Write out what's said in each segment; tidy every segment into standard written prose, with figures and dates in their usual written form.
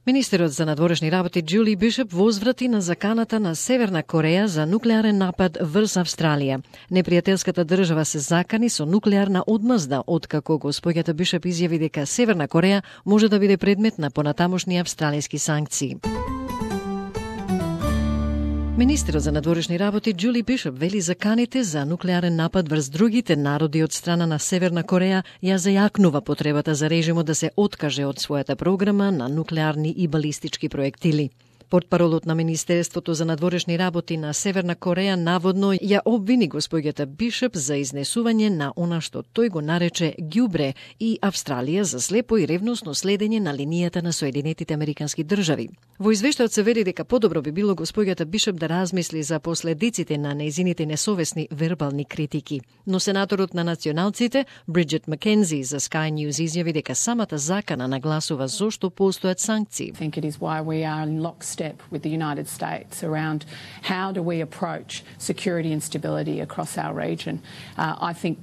Министерот за надворешни работи Џули Бишоп возврати на заканата на Северна Кореја за нуклеарен напад врз Австралија. Непријателската држава се закани со нуклеарна одмазда, откако господјата Бишоп изјави дека Северна Кореја може да биде предмет на понатамошни австралиски санкции. Министерот за надворешни работи Џули Бишоп вели заканите за нуклеарен напад врз другите народи од страна на Северна Кореја ја зајакнува потребата за режимот да се откаже од својата програма на нуклеарни и балистички проектили. Портпаролот на Министерството за надворешни работи на Северна Кореја наводно ја обвини господјата Бишоп за изнесување на она што тој го нарече ѓубре и Австралија за слепо и ревносно следење на линијата на Соединетите Американски држави. Во извештајот се вели дека подобро би било господјата Бишоп да размисли за последиците на нејзините несовесни вербални критики. Но сенаторот на националците Бриджит Маккензи за Sky News изјави дека самата закана нагласува зошто постојат санкции. Step with the United States around how do we approach security and stability across our region. I think,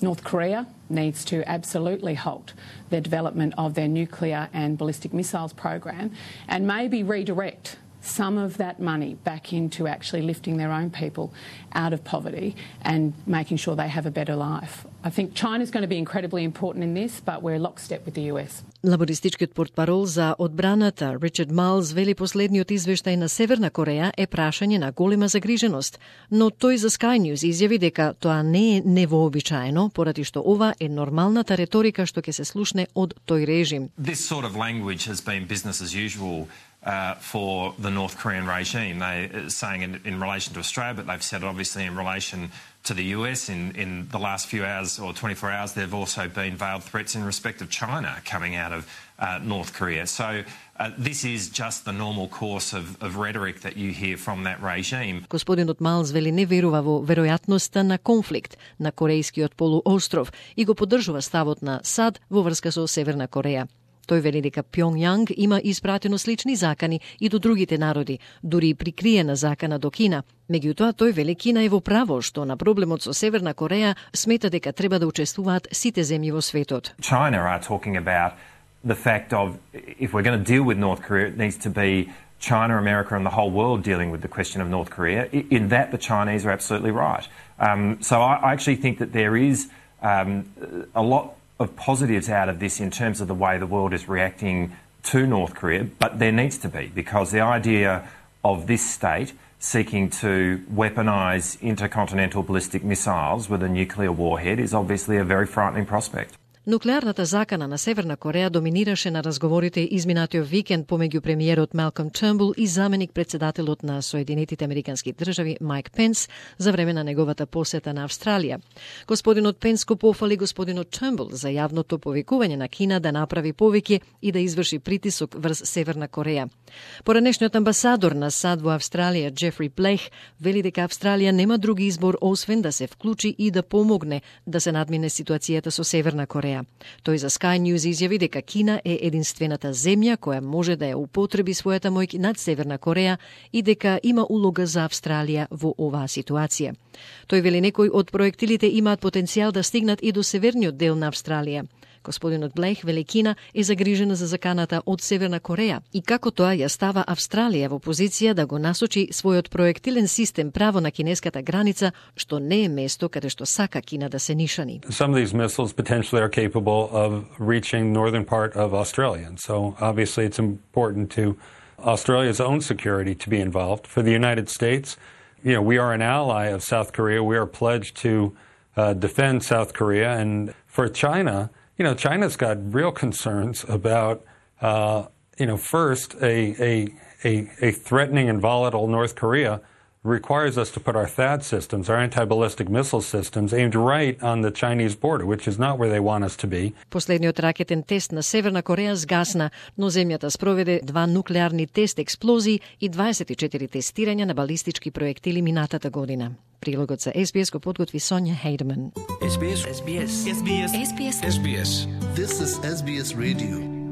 North Korea needs to absolutely halt the development of their nuclear and ballistic missiles program and maybe redirect some of that money back into actually lifting their own people out of poverty and making sure they have a better life. I think China's going to be incredibly important in this, but we're lockstep with the US. Лабористичкиот портпарол за одбраната Ричард Малс вели последниот извештај на Северна Кореја е прашање на голема загриженост, но тој за Sky News изјави дека тоа не е невообичаено, поради што ова е нормалната реторика што ќе се слушне од тој режим. This sort of language has been business as usual for the North Korean regime. They saying in relation to Australia, but they've said obviously in relation to the US in the last few hours or 24 hours, there have also been veiled threats in respect of China coming out of North Korea. So this is just the normal course of rhetoric that you hear from that regime. Господинот Малс вели не верува во веројатноста на конфликт на Корејскиот полуостров и го поддржува ставот на САД во врска со Северна Кореја. Тој вели дека Пјонгјанг има испратено слични закани и до другите народи, дури и прикриена закана до Кина. Меѓутоа, тој вели Кина е во право што на проблемот со Северна Кореја смета дека треба да учествуваат сите земји во светот. China are talking about the fact of if we're going to deal with North Korea, it needs to be China, America and the whole world dealing with the question of North Korea. In that, the Chinese are absolutely right. So I actually think that there is a lot of positives out of this in terms of the way the world is reacting to North Korea, but there needs to be, because the idea of this state seeking to weaponise intercontinental ballistic missiles with a nuclear warhead is obviously a very frightening prospect. Нуклеарната закана на Северна Кореја доминираше на разговорите изминатиот викенд помеѓу премиерот Малком Трнбул и заменик председателот на Соединетите Американски држави Майк Пенс за време на неговата посета на Австралија. Господинот Пенс го пофали господинот Трнбул за јавното повикување на Кина да направи повеќе и да изврши притисок врз Северна Кореја. Поранешниот амбасадор на САД во Австралија Џефри Блех вели дека Австралија нема други избор освен да се вклучи и да помогне да се надмине ситуацијата со Северна Кореја. Тој за Sky News изјави дека Кина е единствената земја која може да ја употреби својата моќ над Северна Кореја и дека има улога за Австралија во оваа ситуација. Тој вели некои од проектилите имаат потенцијал да стигнат и до северниот дел на Австралија. Господинот Блех вели Кина е загрижена за заканата од Северна Кореја и како тоа ја става Австралија во позиција да го насочи својот проектилен систем право на кинеската граница, што не е место каде што сака Кина да се нишани. Some of these missiles potentially are capable of reaching northern part of Australia. And so obviously it's important to Australia's own security to be involved. For the United States, we are an ally of South Korea. We are pledged to defend South Korea. And for China, China's got real concerns about, first, a threatening and volatile North Korea requires us to put our THAAD systems, our anti-ballistic missile systems, aimed right on the Chinese border, which is not where they want us to be. Последниот ракетен тест на Северна Кореја сгасна, но земјата спроведе 2 нуклеарни тест експлозии и 24 тестирања на балистички проектили минатата година. Прилогот за SBS го подготви Сонја Хейдман. SBS. SBS. SBS. SBS. SBS. This is SBS Radio.